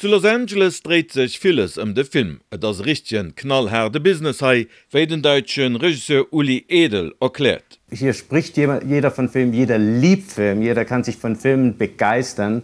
Zu Los Angeles dréit sech villes ëm de Film. Et ass e richtegen knallhaarde Business hei, wéi den däitsche Regisseur Uli Edel erkläert. Hier spricht jeder von Film, jeder liebt Film, jeder kann sich von Filmen begeistern.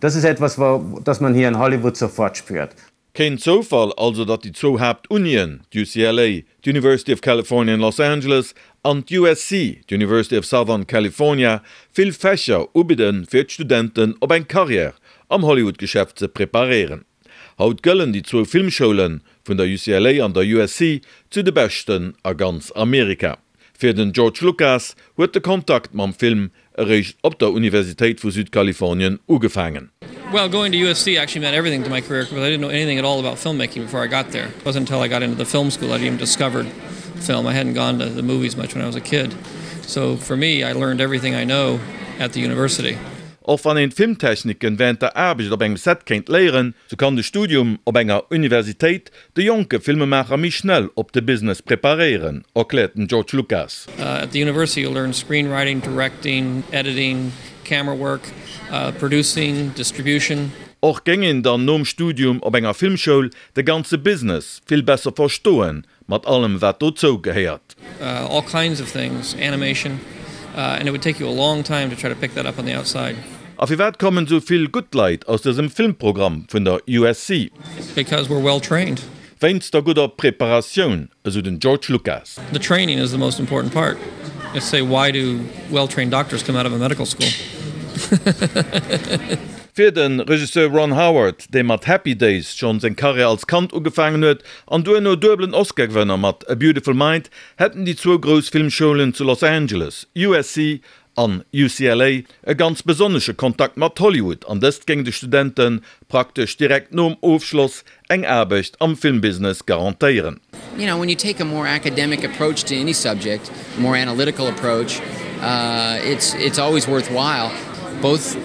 Das ist etwas, das man hier in Hollywood sofort spürt. Keen Zoufall also, datt déi zwou Haaptunien, d'UCLA, d'University of California in Los Angeles, an d'USC, d'University of Southern California, vill Fächer ubidden, fir d'Studenten op eng Karriär am Hollywood-Geschäft ze preparéieren. Haut gëllen déi zwou Filmschoule vun der UCLA an der USC zu de beschten a ganz Amerika. Fir den George Lucas huet de Kontakt mam Film eréischt op der Universitéit vu Südkalifornien ugefaangen. Well, going to USC actually meant everything to my career because I didn't know anything at all about filmmaking before I got there. It wasn't until I got into the film school that I even discovered film. I hadn't gone to the movies much when I was a kid. So for me, I learned everything I know at the university. Och wann een d'Filmtechniken wärend der Aarbecht op engem Set kéint léieren, sou kann de Studium op enger Universitéit de jonke Filmemaacher méi schnell op de Business preparéieren, erkläert den George Lucas. At the university you learn screenwriting, directing, editing, camera work, producing, distribution. Och géing een dann nom Studium op enger Filmschoul de ganze Business vill besser verstoen, mat allem wat dozou gehéiert. All kinds of things, animation, and it would take you a long time to try to pick that up on the outside. A firwat kommen sou vill gutt Leit aus dësem Filmprogramm vun der USC? Because we're well trained. Wéinst der gudder Preparatioun, esou den George Lucas. The training is the most important part. It's say why do well trained doctors come out of a medical school? Fir de Regisseur Ron Howard, dee mat Happy Days schonn seng Karriär als Kand ugefaangen huet an duerno duebelen Oscar-Gewënner mat A Beautiful Mind, hätten déi zwou grouss Filmschoulen zu Los Angeles, USC an UCLA, e ganz besonnesche Kontakt mat Hollywood an dëst géing de Studente praktesch direkt nom Ofschloss eng Aarbecht am Filmbusiness garantéieren. You know, when you take a more academic approach to any subject, a more analytical approach, it's it's always worthwhile. Both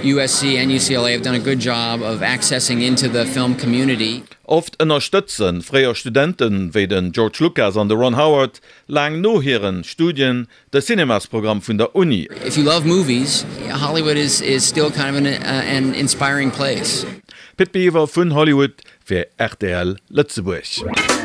USC and UCLA have done a good job of accessing into the film community. Oft ënnerstëtze fréier Studenten, wéi den George Lucas an de Ron Howard, laang no hiren Studien de Cinemasprogramm vun der Uni. If you love movies, Hollywood is is still kind of an an inspiring place. Pit Biwer vun Hollywood fir rtl Lëtzebuerg.